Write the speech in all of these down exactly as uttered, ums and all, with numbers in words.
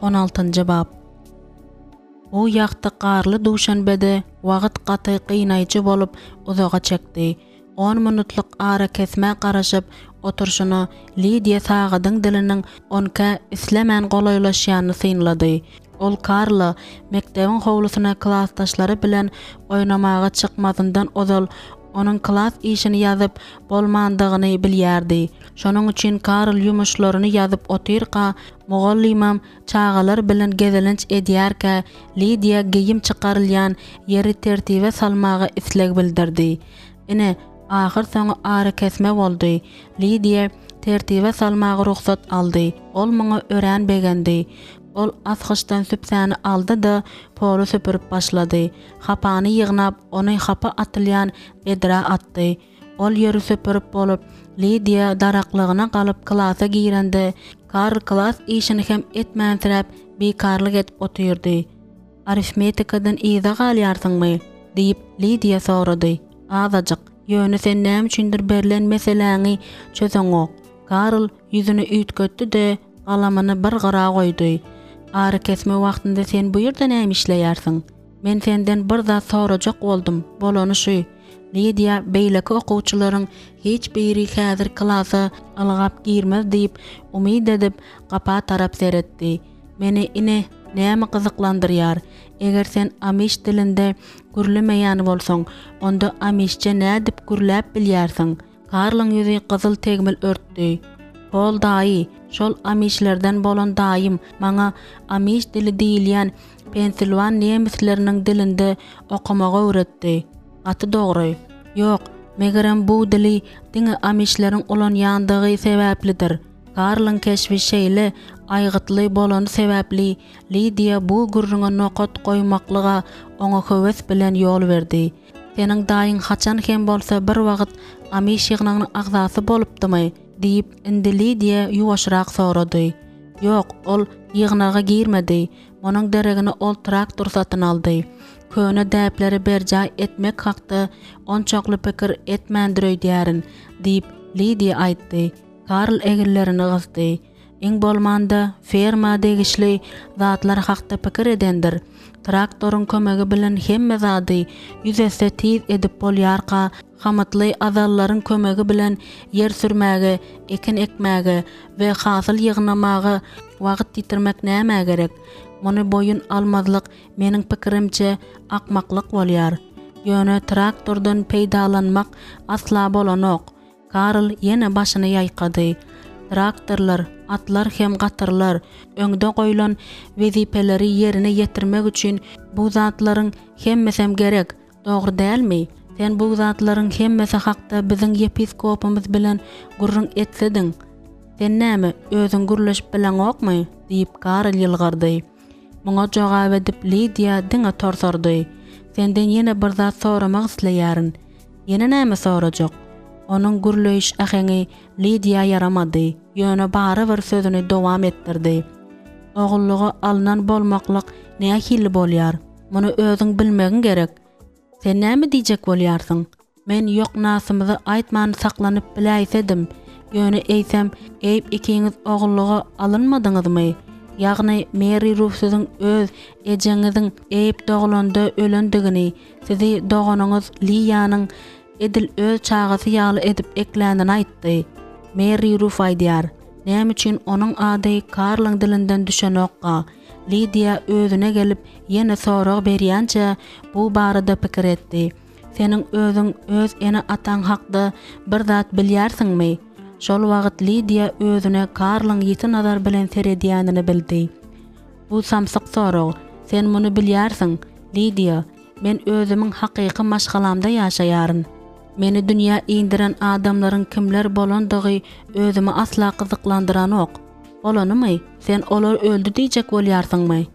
On altynjy bap. Bu ýagty garly duşenbede wagt gaty gynaýjy bolup uzaga çekdi. On minutlyk arakesmä garaşyp oturyşyna Lidiýa sagadyň diliniň onkä islemän golaýlaşýanyny synlady. Ol Karla mekdebiň howlusyna klasdaşlary bilen oýnamaga çykmazyndan ozal onuň klas işini ýazyp bolmandygyny bilýärdi. Şonuň üçin Karl ýumuşlaryny ýazyp otyrka, mugallymam çagalar bilen gezelenç edýärkä, Lidiýa geýim çykarylýan ýeri tertibe salmaga isleg bildirdi. Ine, ahyrsoňy arakesme boldy. Lidiýa tertibe salmaga rugsat aldy. Ol muňa örän begendi. Ol asgyçdan sübsäni aldy-da, poly süpürip başlady. Hapany ýygnap, ony hapa atylýan bedrä atdy. Ol ýeri süpürip bolup, Lidiýa daraklygyna galyp klasa girende, Karl klas işini hem etmänsiräp, bikarlyk edip otyrdy. Arifmetikadan yza galýarsyňmy? diýip, Lidiýa sorady. Azajyk. Ýöne sen näme üçindir berlen meseläňi çözeňok. Karl ýüzüni üýtgetdi-de, galamyny bir gyra goýdy. Arakesme wagtynda sen bu ýerde näme işleýärsiň? Men senden bir zat sorajak boldum, bolany şu. Lidiýa beýleki okuwçylaryň hiç biri häzir klasa ylgap girmez diýip umyt edip, gapa tarap seretdi. Meni ine näme gyzyklandyrýar, eger sen amiş dilinde gürlemeýän bolsaň, onda amişçe nädip gürläp bilýärsiň? Karlyň ýüzi gyzyl tegmil örtdi. Pol daýy, şol amişlerden bolan daýym maňa amiş dili diýilýän pensilwan nemisleriniň dilinde okamagy öwretdi. Gaty dogry. Ýok, megerem bu dili diňe amişleriň ulanýandygy sebäplidir. Karlyň keşbi şeýle aýgytly bolany sebäpli Lidiýa bu gürrüňe nokat goýmaklyga oňa höwes bilen ýol berdi. Seniň daýyň haçan hem bolsa bir wagt amiş ýygnagynyň agzasy bolupdymy? diýip, indi Lidiýa ýuwaşrak sorady. Ýok, ol ýygnaga girmedi. Munuň deregine ol traktor satyn aldy. Köne däpleri berjaý etmek hakda onçakly pikir etmändir öýdýärin, diýip, Lidiýa aýtdy. Karl eginlerini gysdy. Iň bolmanda, ferma degişli zatlar hakda pikir edendir. Traktoryň kömegi bilen hemme zady ýüz esse tiz edip bolýarka, hamytly azallaryň kömegi bilen ýer sürmäge, ekin ekmäge we hasyl ýygnamaga wagt ýitirmek nämä gerek? Muny boýun almazlyk, meniň pikirimçe, akmaklyk bolýar. Ýöne traktordan peýdalanmak asla bolanok. Karl ýene başyny ýaýkady. Traktorlar, atlar hem gatyrlar, öňde goýlan wezipeleri ýerine ýetirmek üçin bu zatlaryň hemmesem gerek, dogry dälmi? Sen bu zatlaryň hemmesi hakda biziň ýepiskopymyz bilen gürrüň etsediň. Sen näme, özüň gürleşip bileňokmy? diýip, Karl ýylgyrdy. Muňa jogap edip Lidiýa diňe torsardy. Senden ýene bir zat soramak isleýärin. Ýene näme sorajak? Onuň gürleýiş äheňi Lidiýa ýaramady, ýöne barybir sözüni dowam etdirdi. Ogullyga alnan bolmaklyk nähili bolýar? Muny özüň bilmegiň gerek. Sen näme diýjek bolýarsyň? Men ýoknasymyzy aýtman saklanyp biläýsedim. Ýöne eýsem, Eýb ikiňiz ogullyga alynmadyňyzmy? Ýagny Meri Ruf siziň öz ejeňiziň Eýb doglanda ölendigini, Sizi doganyňyz Liýanyň edil öz çagasy ýaly edip eklänini aýtdy. Merri Ruf aýdýar. Näme üçin onuň ady Karlyň dilinden düşenokka? Lidiýa özüne gelip, ýene sorag berýänçä bu barada pikir etdi. Seniň özüň öz ene-ataň hakda bir zat bilýärsiňmi? Şol wagt Lidiýa özüne Karlyň ýiti nazar bilen seredýänini bildi. Bu samsyk sorag. Sen muny bilýärsiň, Lidiýa. Men özümiň hakyky maşgalamda ýaşaýaryn. Meni dünýä indiren adamlaryň kimler bolandygy özümi asla gyzyklandyranok. Bolanymy? Sen olar öldi diýjek bolýarsyňmy?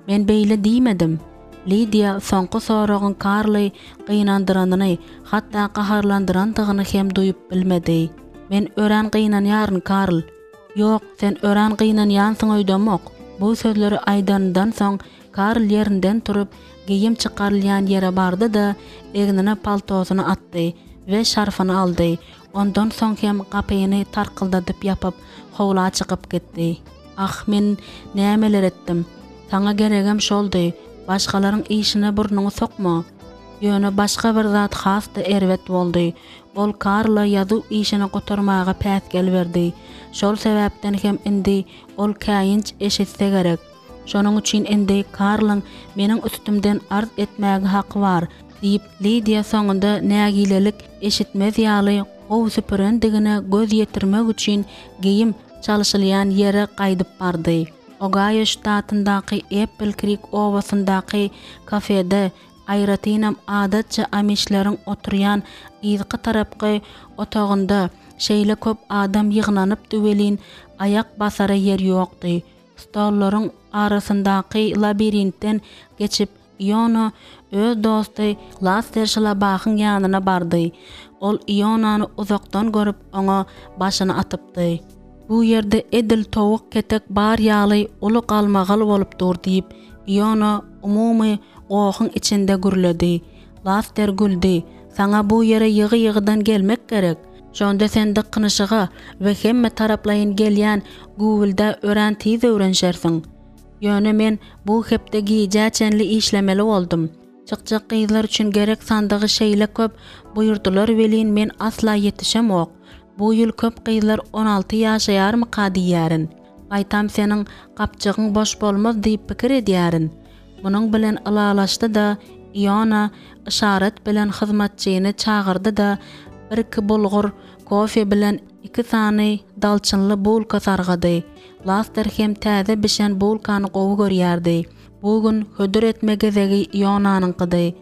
Men beýle diýmedim. Lidiýa soňky soragyň Karly gynandyranyny, hatda gaharlandyrandygyny hem duýup bilmedi. Men örän gynanýaryn, Karl. Ýok, sen örän gynanýansyň öýdemok. Bu sözleri aýdanyndan soň, Karl ýerinden turup, geýim çykarylýan ýere bardy-da, egnine paltosyny atdy we şarfyny aldy. Ondan soň hem gapyny tarkyldadyp ýapyp, howla çykyp gitdi. Ah, men nämeler etdim? Saňa geregem şoldy. Başgalaryň işine burnuňy sokma. Ýöne başga bir zat has-da erbet boldy. Ol Karla ýazuw işini gutarmaga päsgel berdi. Şol sebäpden hem indi ol käýinç eşitse gerek. Şonuň üçin indi Karlyň meniň üstümden arz etmäge haky bar, diýip, Lidiýa soňunda nägilelik eşitmez ýaly gowy süpürendigine göz ýetirmek üçin geýim çalşylýan ýere gaýdyp bardy. Ogaýo ştatyndaky Eppl-Krik obasyndaky kafede, aýratynam adatça amişleriň oturýan yzky tarapky otagynda şeýle köp adam ýygnanypdy welin, aýak basara ýer ýokdy. Stollaryň arasyndaky labirintden geçip, Iona öz dosty Laster Şlabahyň ýanyna bardy. Ol Ionany uzakdan görüp, oňa başyny atypdy. Bu ýerde edil towuk ketek bar ýaly uly galmagal bolup dur, diýip, Iona umumy gohuň içinde gürledi. Laster güldi. Saňa bu ýere ýygy-ýygydan gelmek gerek. Şonda sen dykynyşyga we hemme taraplaýyn gelýän güwwüldä örän tiz öwrenişersiň. Ýöne men bu hepde gijä çenli işlemeli boldum. Çykjak gyzlar üçin gerek sandygy şeýle köp buýurdylar welin men asla ýetişemok. Bu ýyl köp gyzlar on alty ýaşaýarmyka diýýärin. Gaýtam seniň gapjygyň boş bolmaz diýip pikir edýärin. Munuň bilen ylalaşdy-da, Iona yşarat bilen hyzmatçyny çagyrdy-da, birki bulgur kofe bilen iki sany dalçynly bulka sargady. Laster hem täze bişen bulkany gowy görýärdi. Bu gün hödür etme gezegi Ionanyňkydy.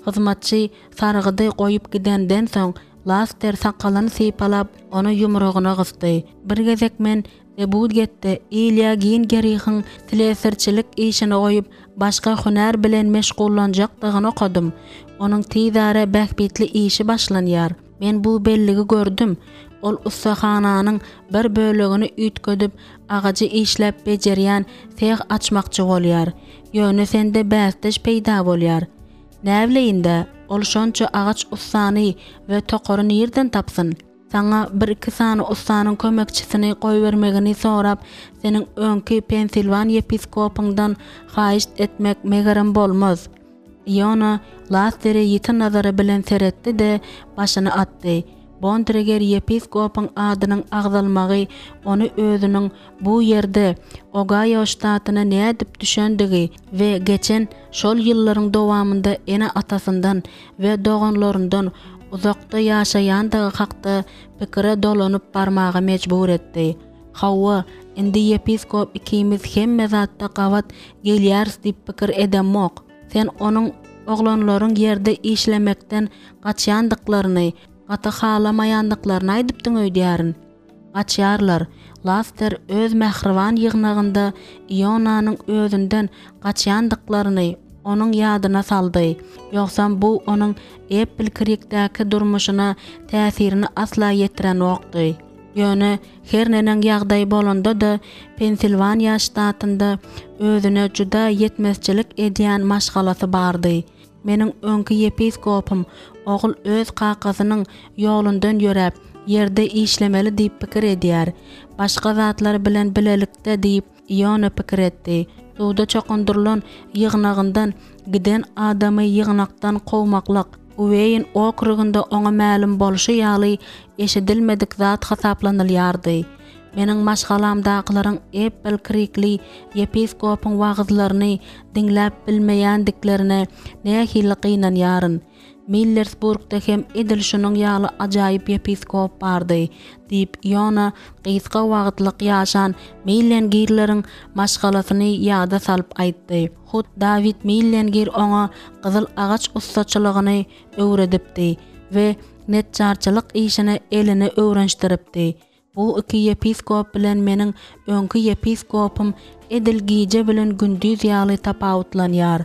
Hyzmatçy sargydy goýup gidenden soň, Laster sakalyny sypalap, ony ýumrugyna gysdy. Bir gezek men Debudgetde Ilýa Gingerihiň slesarçylyk işini goýup, başga hünär bilen meşgullanjakdygyny okadym. Onuň tizara bähbitli işi başlanýar. Men bu belligi gördüm. Ol ussahananyň bir bölegini üýtgedip, agajy işläp bejerýän seh açmakçy bolýar. Ýöne sende bäsdeş peýda bolýar. Näbileýin-dä, ol şonça agaç ussany we tokary nirden tapsyn? Saňa bir-iki sany ussanyň kömekçisini goýbermegini sorap, seniň öňki Pensilwan ýepiskopyňdan haýyşt etmek megerem bolmaz. Iona Lastere ýiti nazary bilen seretdi-de, başyny atdy. Bontreger ýepiskopyň adynyň agzalmagy ony özüniň bu ýerde Ogaýo ştatyna nädip düşendigi we geçen şol ýyllaryň dowamynda ene-atasyndan we doganlaryndan uzakda ýaşaýandygy hakda pikire dolanyp barmaga mejbur etdi. Hawa, indi ýepiskop ikimiz hemme zatda gabat gelýäris diýip pikir edemok. Sen onuň oglanlaryň ýerde işlemekden gaçýandyklaryny, gaty halamaýandyklaryny aýdypdyň öýdýärin. Gaçýarlar. Laster öz mähriban ýygnagynda Ionanyň özünden gaçýandyklaryny onuň ýadyna saldy. Ýogsam bu onuň Eppl-Krikdäki durmuşyna täsirini asla ýetirenokdy. Ýöne her neneň ýagdaý bolanda-da, Pensilwaniýa ştatynda özüne juda ýetmezçilik edýän maşgalasy bardy. Meniň öňki ýepiskopym ogul öz kakasynyň ýolundan ýöräp, ýerde işlemeli diýip pikir edýär. Başga zatlar bilen bilelikde diýip, Iona pikir etdi. Suwda çokundyrylan ýygnagyndan giden adamy ýygnakdan kowmaklyk, Ueýn okrugynda oňa mälim bolşy ýaly eşidilmedik zat hasaplanylýardy. Meniň maşgalamdakylaryň Eppl-Krikli ýepiskopyň wagyzlaryny diňläp bilmeýändiklerine nähili gynanýaryn. Millersburgda hem edil şunuň ýaly ajaýyp ýepiskop bardy, diýip, Iona gysga wagtlyk ýaşan Millengirleriň maşgalasyny ýada salyp aýtdy. Hut Dawid Millengir oňa gyzyl agaç ussaçylygyny öwredipdi we neçjarçylyk işine elini öwrenişdiripdi. Bu iki ýepiskop bilen meniň öňki ýepiskopym edil gije bilen gündiz ýaly tapawutlanýar.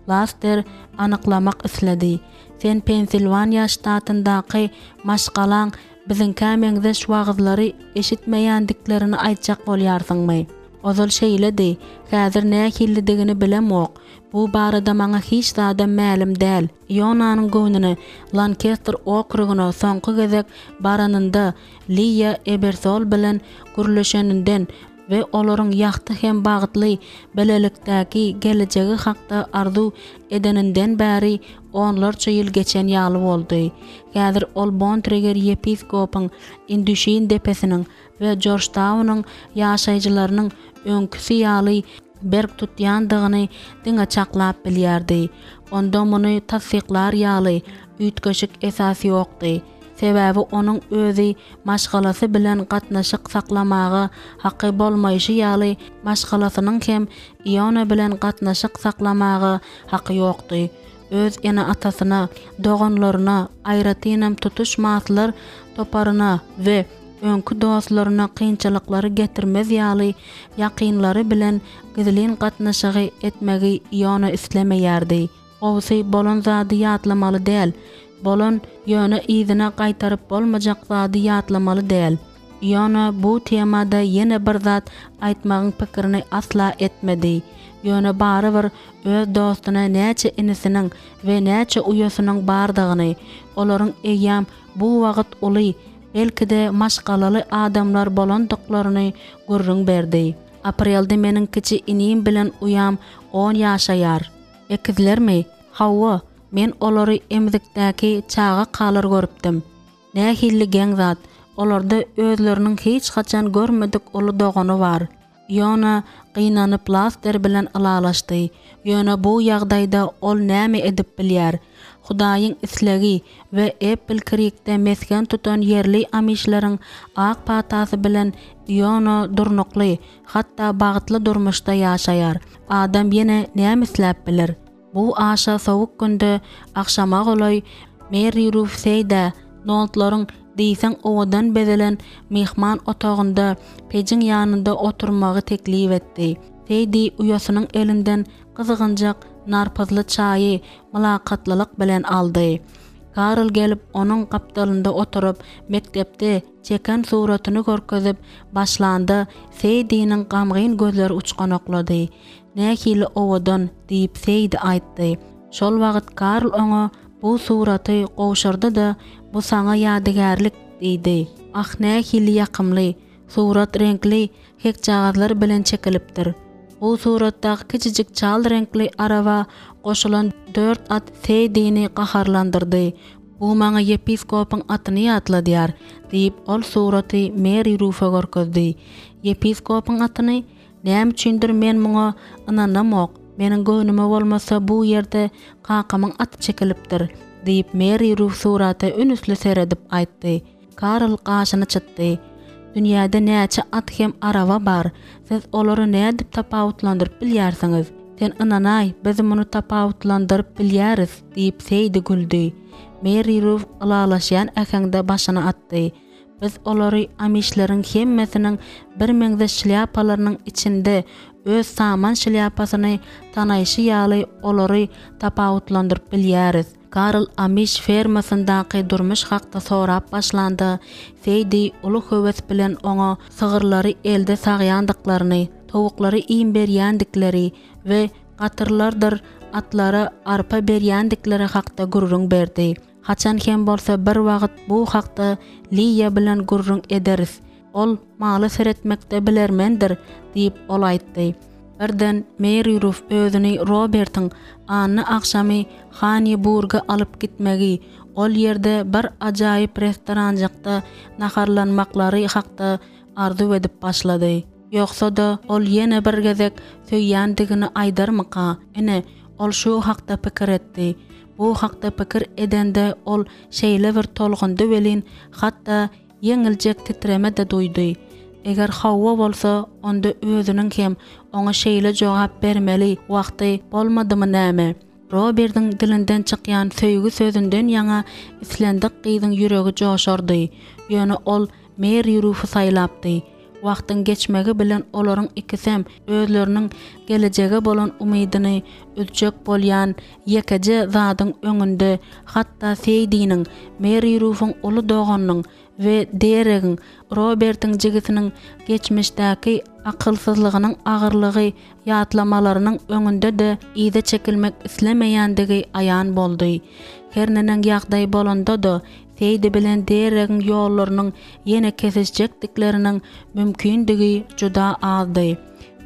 Laster anyklamak isledi. Sen Pensilwaniýa ştatyndaky maşgalaň biziňkä meňzeş wagyzlary eşitmeýändiklerini aýtjak bolýarsyňmy? Ozal şeýledi, häzir nähilidigini bilemok. Bu barada maňa hiç zadam mälim däl. Ionanyň göwnüne Lankester okrugyna soňky gezek baranynda Liýa Ebersol bilen gürleşeninden we olaryň ýagty hem bagtly bilelikdäki gelejegi hakda arzuw edeninden bäri onlarça ýyl geçen ýaly boldy. Häzir ol Bontreger ýepiskopyň, Indüşin depesiniň we Jorjtaunyň ýaşaýjylarynyň öňküsi ýaly berk tutýandygyny diňe çaklap bilýärdi. Onda muny tassyklar ýaly üýtgeşik esas ýokdy. Sebäbi onuň özi maşgalasy bilen gatnaşyk saklamaga haky bolmaýşy ýaly maşgalasynyň hem Iona bilen gatnaşyk saklamaga haky ýokdy. Öz ene-atasyna, doganlaryna, aýratynam tutuş maslar toparyna we öňki dostlaryna kynçylyklary getirmez ýaly ýakynlary bilen gizlin gatnaşygy etmegi Iona islemeýärdi. Gowusy bolan zady ýatlamaly däl. Bolan, ýöne yzyna gaýtaryp bolmajak zady ýatlamaly däl. Iona bu temada ýene bir zat aýtmagyň pikirini asla etmedi. Ýöne barybir öz dostuna näçe inisiniň we näçe uýasynyň bardygyny, olaryň eýýäm bu wagt uly, belki-de maşgalaly adamlar bolandyklaryny gürrüň berdi. Aprelde meniň kiçi inim bilen uýam on ýaşaýar. Ekizlermi? Hawa, men olary emzikdäki çagakalar görüpdim. Nähili geň zat, olarda özleriniň hiç haçan görmedik uly dogany bar. Iona gynanyp Laster bilen ylalaşdy. Ýöne bu ýagdaýda ol näme edip bilýär? Hudaýyň islegi we Eppl-Krikde mesgen tutan ýerli amişleriň ak patasy bilen Iona durnukly, hatda bagtly durmuşda ýaşaýar. Adam ýene näme isläp biler? Bu aşa sowuk günde agşama golaý Merri Ruf Seýdä Noldlaryň diýseň owadan bezelen myhman otagynda pejiň ýanynda oturmagy teklip etdi. Seýdi uýasynyň elinden gyzgynjak narpyzly çaýy mylakatlylyk bilen aldy. Karl gelip onuň gapdalynda oturyp, mekdepde çeken suratyny görkezip başlanda Seýdiniň gamgyn gözleri uçganaklady. Nähili owadan, diýip Seýdi aýtdy. Şol wagt Karl oňa bu suraty gowşurdy-da, Bu saňa ýadygärlik, diýdi. Ah, nähili ýakymly! Surat reňkli hekjagazlar bilen çekilipdir. Bu suratdaky kiçijik çal reňkli araba goşulan dört at Seýdini gaharlandyrdy. Bu maňa ýepiskopyň atyny ýatladýar, diýip, ol suraty Meri Rufa görkezdi. Ýepiskopyň atyny? Näme üçindir men muňa ynanamok. Meniň göwnüme bolmasa bu ýerde kakamyň aty çekilipdir, diýip, Meri Ruf surata ünüsli seredip aýtdy. Karl gaşyny çytdy. Dünýäde näçe at hem araba bar, siz olary nädip tapawutlandyryp bilýärsiňiz? Sen ynanaý, biz muny tapawutlandyryp bilýäris, diýip, Seýdi güldi. Meri Ruf ylalaşýan äheňde başyny atdy. Biz olary amişleriň hemmesiniň birmeňzeş şlýapalarynyň içinde öz saman şlýapasyny tanaýşy ýaly olary tapawutlandyryp bilýäris. Karl amiş fermasyndaky durmuş hakda sorap başlanda, Seýdi uly höwes bilen oňa sygyrlary elde sagýandyklaryny, towuklara iým berýändikleri we gatyrlardyr atlara arpa berýändikleri hakda gürrüň berdi. Haçan hem bolsa bir wagt bu hakda Liýa bilen gürrüň ederis. Ol mala seretmekde bilermendir, diýip, ol aýtdy. Birden Meri Ruf özüni Robertiň anna agşamy Haniburga alyp gitmegi, ol ýerde bir ajaýyp restoranjykda naharlanmaklary hakda arzuw edip başlady. Ýogsa-da, ol ýene bir gezek söýýändigini aýdarmyka? Ine, ol şu hakda pikir etdi. Bu hakda pikir edende ol şeýle bir tolgundy welin, hatda ýeňiljek titreme-de duýdy. Eger hawa bolsa, onda özüniň hem oňa şeýle jogap bermeli wagty bolmadymy näme? Robertiň dilinden çykýan söýgi sözünden ýaňa islendik gyzyň ýüregi joşardy. Ýöne ol Meri Rufy saýlapdy. Wagtyň geçmegi bilen olaryň ikisem özleriniň gelejege bolan umydyny üzjek bolýan ýekeje zadyň öňünde, hatda Seýdiniň, Meri Rufuň uly doganynyň we Deregiň, Robertiň jigisiniň geçmişdäki akylsyzlygynyň agyrlygy ýatlamalarynyň öňünde-de yza çekilmek islemeýändigi aýan boldy. Her neneň ýagdaý bolanda-da, Seýdi bilen Deregiň ýollarynyň ýene kesişjekdikleriniň mümkindigi juda azdy.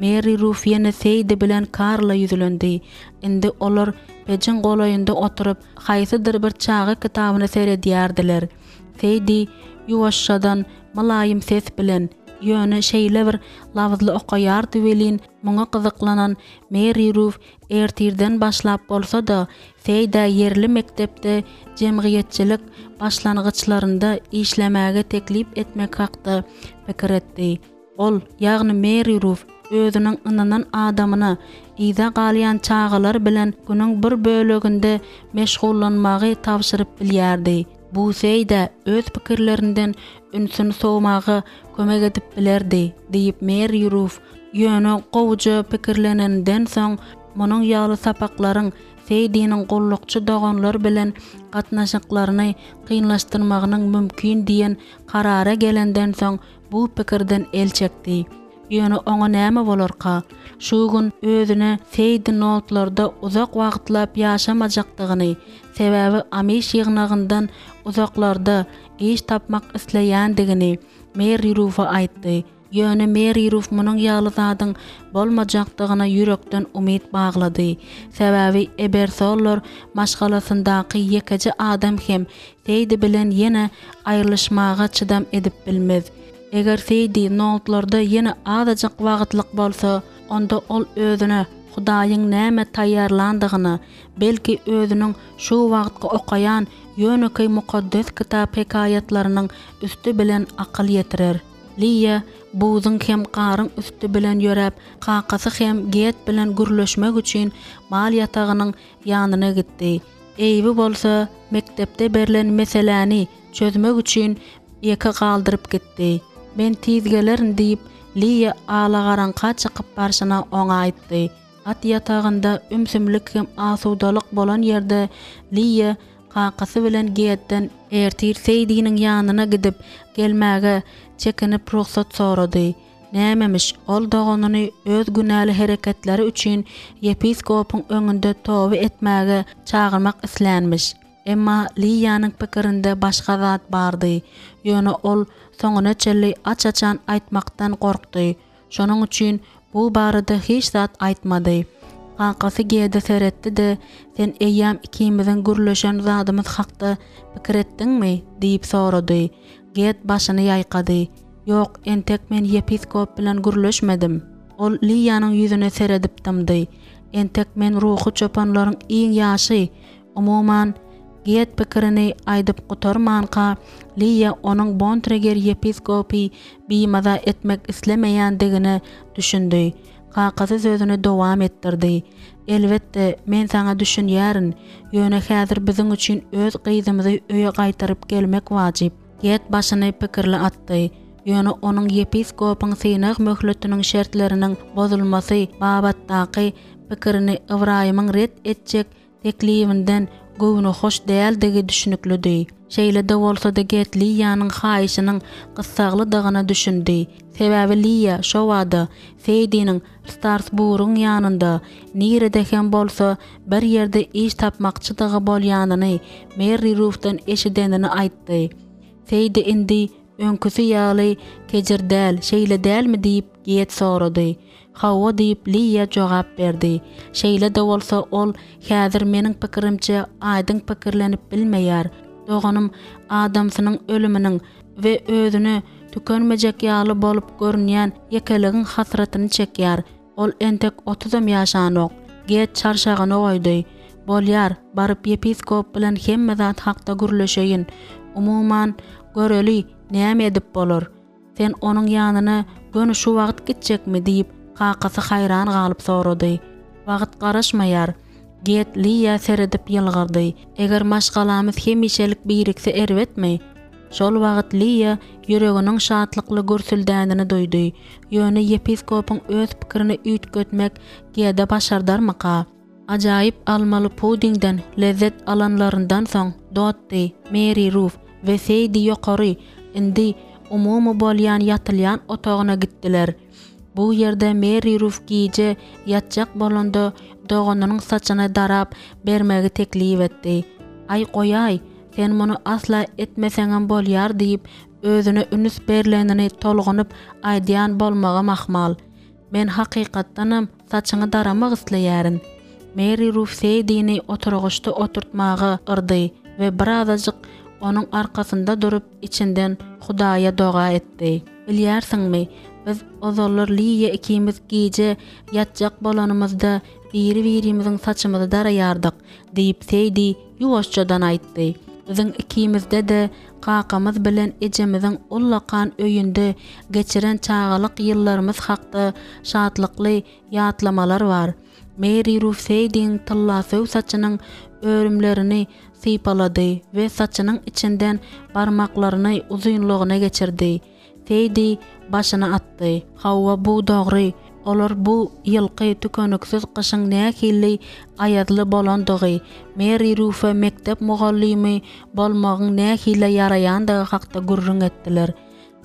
Meri Ruf ýene Seýdi bilen Karla ýüzlendi. Indi olar pejiň golaýynda oturyp, haýsydyr bir çaga kitabyna seredýärdiler. Seýdi ýuwaşjadan, mylaýym ses bilen, ýöne şeýle bir labyzly okaýardy welin, muňa gyzyklanan Meri Ruf ertirden başlap bolsa-da, Seýdä ýerli mekdepde jemgyýetçilik başlangyçlarynda işlemäge teklip etmek hakda pikir etdi. Ol, ýagny Meri Ruf, özüniň ynanan adamyna yza galýan çagalar bilen günüň bir böleginde meşgullanmagy tabşyryp bilýärdi. Bu Seýdä öz pikirlerinden ünsüni sowmaga kömek edip bilerdi, diýip Meri Ruf, ýöne gowuja pikirleneninden soň, munuň ýaly sapaklaryň Seýdiniň gullukçy doganlar bilen gatnaşyklaryny kynlaşdyrmagynyň mümkin diýen karara gelenden soň bu pikirden el çekdi. Ýöne oňa näme bolarka? Şu gün özüne Seýdi Noltlarda uzak wagtlap ýaşamajakdygyny, sebäbi Amiş ýygnagyndan uzaklarda iş tapmak isleýändigini Meri Rufa aýtdy. Ýöne Meri Ruf munuň ýaly zadyň bolmajakdygyna ýürekden umyt baglady. Sebäbi Ebersollar maşgalasyndaky ýekeje adam hem Seýdi bilen ýene aýrylyşmaga çydam edip bilmez. Eger Seýdi Noltlarda ýene azajyk wagtlyk bolsa, onda ol özüne Hudaýyň näme taýýarlandygyna, belki özüniň şu wagtky okaýan ýönekeý Mukaddes Kitap hekaýatlarynyň üsti bilen akyl ýetirer. Liýa buzuň hem garyň üsti bilen ýöräp, kakasy hem Get bilen gürleşmek üçin mal ýatagynyň ýanyna gitdi. Eýbi bolsa mekdepde berlen meseläni çözmek üçin ýeke galdyryp gitdi. Men tiz gelerin diýip, Liýa alagaraňka çykyp barşyna oňa aýtdy. At ýatagynda ümsümlik hem asudalyk bolan ýerde Liýa kakasy bilen Getden ertir Seýdiniň ýanyna gidip gelmäge çekinip rugsat sorady. Nämemiş, ol doganyny öz günäli hereketleri üçin ýepiskopyň öňünde toba etmäge çagyrmak islänmiş. Emma Liýanyň pikirinde başga zat bardy. Ýöne ol soňuna çenli aç-açan aýtmakdan gorkdy. Şonuň üçin bu barada hiç zat aýtmady. Kakasy Gede seretdi-de, Sen eýýäm ikimiziň gürleşen zadymyz hakda pikir etdiňmi? diýip sorady. Ged başyny ýaýkady. Ýok, entek men ýepiskop bilen gürleşmedim. Ol Liýanyň ýüzüne seredip dymdy. Entek men ruhy çopanlaryň iň ýaşy. Umuman, Ged pikirini aýdyp gutarmanka, Liýa onuň Bontreger ýepiskopy bimaza etmek islemeýändigine düşündi. Kakasy sözüni dowam etdirdi. Elbetde, men saňa düşünýärin, ýöne häzir biziň üçin öz gyzymyzy öýe gaýtaryp gelmek wajyp. Ged başyny pikirli atdy. Ýöne onuň ýepiskopyň synag möhletiniň şertleriniň bozulmasy babatdaky pikirini Ybraýymyň ret etjek teklibinden göwnühoş däldigi düşnüklidi. Şeýle-de bolsa-da Ged Liýanyň haýyşynyň gyssaglydygyna düşündi. Sebäbi Liýa şobada Seýdiniň Starsburyň ýanynda, nirede hem bolsa bir ýerde iş tapmakçydygy bolýanyny Merri Rufdan eşidenini aýtdy. Seýdi indi öňküsi ýaly kejir däl, şeýle dälmi diýip, Ged sorady. Hawa diýip, Liýa jogap berdi. Şeýle-de bolsa, ol häzir meniň pikirimçe aýdyň pikirlenip bilmeýär. Doganym adamsynyň ölüminiň we özüne tükenmejek ýaly bolup görünýän ýekeligiň hasratyny çekýär. Ol entek otuzam ýaşanok. Ged çarşagyny goýdy. Bolýar, baryp ýepiskop bilen hemme zat hakda gürleşeýin. Umuman, göreli, näme edip bolar. Sen onuň ýanyna göni şu wagt gitjekmi? diýip, kakasy haýran galyp sorady. Wagt garaşmaýar. Ged Liýa seredip ýylgyrdy. Eger maşgalamyz hemişelik birikse erbetmi? Şol wagt Liýa ýüreginiň şatlykly gürsüldänini duýdy. Ýöne ýepiskopyň öz pikirini üýtgetmek Gede başardarmyka? Ajaýyp almaly pudingden lezzet alanlaryndan soň Dotti, Meri Ruf we Seýdi ýokary, indi umumy bolýan ýatylýan otagyna gitdiler. Bu ýerde Meri Ruf gije ýatjak bolanda doganynyň saçyny darap bermegi teklip etdi. Aý, goýaý, Sen muny asla etmeseňem bolýar diýip, özüne üns berlenini tolgunyp aýdýan bolmagam ahmal. Men hakykatdanam saçyňy daramak isleýärin. Meri Ruf Seýdini oturgyçda oturtmaga yrdy we birazajyk onuň arkasynda durup içinden Hudaýa doga etdi. Bilýärsiňmi, biz ozallar Liýa ikimiz gije ýatjak bolanymyzda biri-birimiziň saçymyzy daraýardyk, diýip Seýdi ýuwaşjadan aýtdy. Biziň ikimizde-de kakamyz bilen ejemiziň ullakan öýünde geçiren çagalyk ýyllarymyz hakda şatlykly ýatlamalar bar. Meri Ruf Seýdiň tyllasöw saçynyň örümlerini sypalady we saçynyň içinden barmaklaryny uzynlygyna geçirdi. Seýdi başyny atdy. Hawa, bu dogry. Olar bu ýylky tükeniksiz gyşyň nähili aýazly bolandygy, Meri Rufe mekdep mugallymy bolmagyň nähili ýaraýandygy hakda gürrüň etdiler.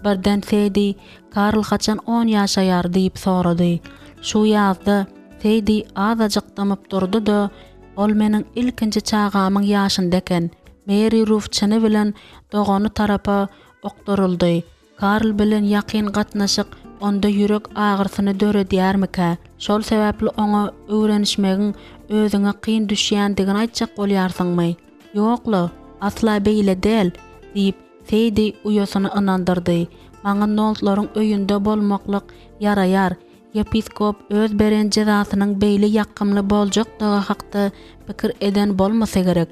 Birden Seýdi, Karl haçan on ýaşaýar? diýip sorady. Şu ýazda. Seýdi azajyk dymyp durdy-da, Ol meniň ilkinji çagamyň ýaşynda eken. Meri Ruf çyny bilen dogany tarapa okduryldy. Karl bilen ýakyn gatnaşyk onda ýürek agyrsyny döredýärmikä? Şol sebäpli oňa öwrenişmegiň özüňe kyn düşýändigini aýtjak bolýarsyňmy? Ýok-la, asla beýle däl, diýip, Seýdi uýasyny ynandyrdy. Maňa Noltlaryň öýünde bolmaklyk ýaraýar. Ýepiskop öz beren jezasynyň beýle ýakymly boljakdygy hakda pikir eden bolmasa gerek.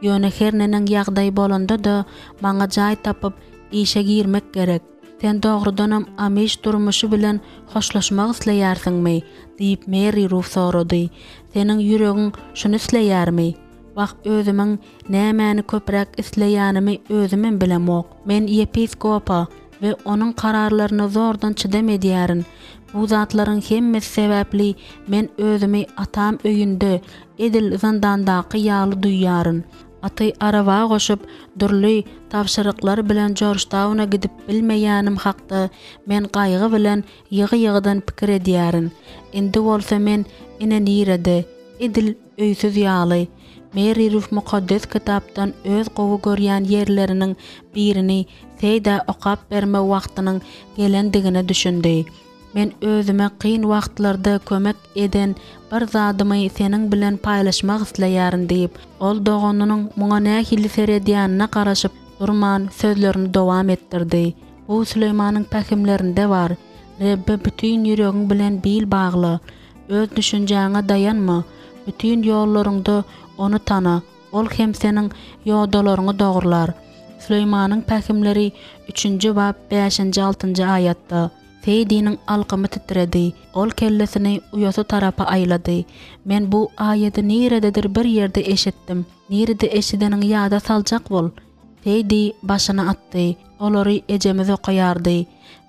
Ýöne her neneň ýagdaý bolanda-da, maňa jaý tapyp, işe girmek gerek. Sen dogrudanam amiş durmuşy bilen hoşlaşmak isleýärsiňmi? diýip, Meri Ruf sorady. Seniň ýüregiň şuny isleýärmi? Wah, özümiň nämäni köpräk isleýänimi özümem bilemok. Men ýepiskopa we onuň kararlaryna zordan çydam edýärin. Bu zatlaryň hemmesi sebäpli men özümi atam öýünde, edil zyndandaky ýaly duýýaryn. Aty araba goşup, dürli tabşyryklar bilen Jorjtauna gidip bilmeýänim hakda men gaýgy bilen ýygy-ýygydan pikir edýärin. Indi bolsa men ine nirede, edil öýsüz ýaly. Meri Ruf Mukaddes Kitapdan öz gowy görýän ýerleriniň birini Seýdä okap berme wagtynyň gelendigine düşündi. Men özüme kyn wagtlarda kömek eden bir zadymy seniň bilen paýlaşmak isleýärin diýip, ol doganynyň muňa nähili seredýänine garaşyp durman sözlerini dowam etdirdi. Bu Süleýmanyň pähimlerinde bar, Rebbe bütin ýüregiň bilen bil bagla, öz düşünjäňe daýanma, bütin ýollaryňda Ony tana, Ol hem seniň ýodalaryňy dogrular. Süleýmanyň pähimleri üçünji bap bäşinji-altynjy aýatda. Seýdiniň alkymy titredi. Ol kellesini uýasy tarapa aýlady. Men bu aýady nirededir bir ýerde eşitdim. Nirede eşideniňi ýada saljak bol. Seýdi başyny atdy. Olary ejemiz okaýardy.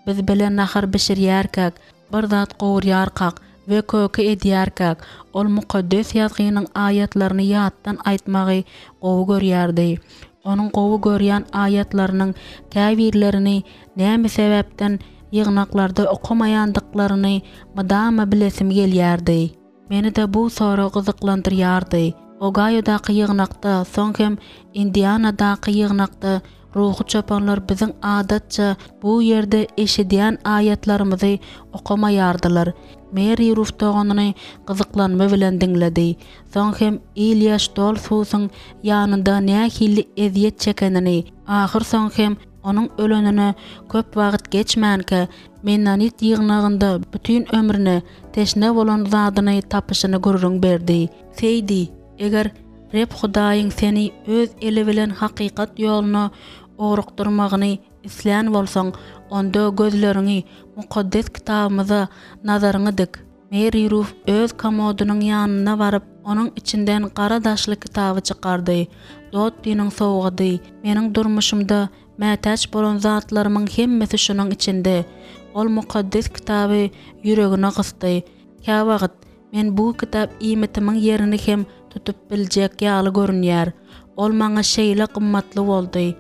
Biz bile nahar bişirýärkäk, bir zat gowurýarkak we köke edýärkäk, ol Mukaddes Ýazgynyň aýatlaryny ýatdan aýtmagy gowy görýärdi. Onuň gowy görýän aýatlarynyň käbirlerini näme sebäpden ýygnaklarda okamaýandyklaryny mydama bilesim gelýärdi. Meni-de bu sorag gyzyklandyrýardy. Ogaýodaky ýygnakda, soň hem Indianadaky ýygnakda ruhy çopanlar biziň adatça bu ýerde eşidýän aýatlarymyzy okamaýardylar. Meri Ruf doganyny gyzyklanma bilen diňledi. Soň hem Ilýa Ştolfusyň ýanynda nähili ezýet çekenini, ahyrsoňy hem onuň ölenine köp wagt geçmänkä, Mennonit ýygnagynda bütin ömrüne teşne bolan zadyny tapyşyny gürrüň berdi. Seýdi, eger Reb Hudaýyň seni Öz eli bilen hakykat ýoluna ugrukdyrmagyny islän bolsaň, onda gözleriňi Mukaddes Kitabymyza nazaryňy dik. Meri Ruf öz komodynyň ýanyna baryp, onuň içinden gara daşly kitaby çykardy. Dottiniň sowgady, meniň durmuşymda mätäç bolan zatlarymyň hemmesi şunuň içinde. Ol Mukaddes Kitaby ýüregine gysdy. Käwagt men bu kitap iýmitimiň ýerini hem tutup biljek ýaly görünýär. Ol maňa şeýle gymmatly boldy.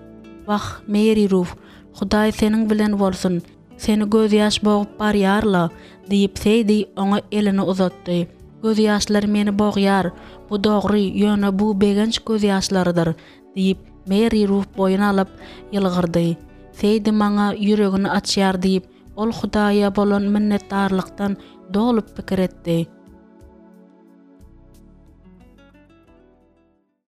Wah, Meri Ruf, Hudaý seniň bilen bolsun! Seni gözýaş bogup barýar-la, diýip, Seýdi oňa elini uzatdy. Gözýaşlar meni bogýar, bu dogry, ýöne bu begenç gözýaşlarydyr, diýip, Meri Ruf boýun alyp, ýylgyrdy. Seýdi maňa ýüregini açýar diýip, ol Hudaýa bolan minnetdarlykdan dolup pikir etdi.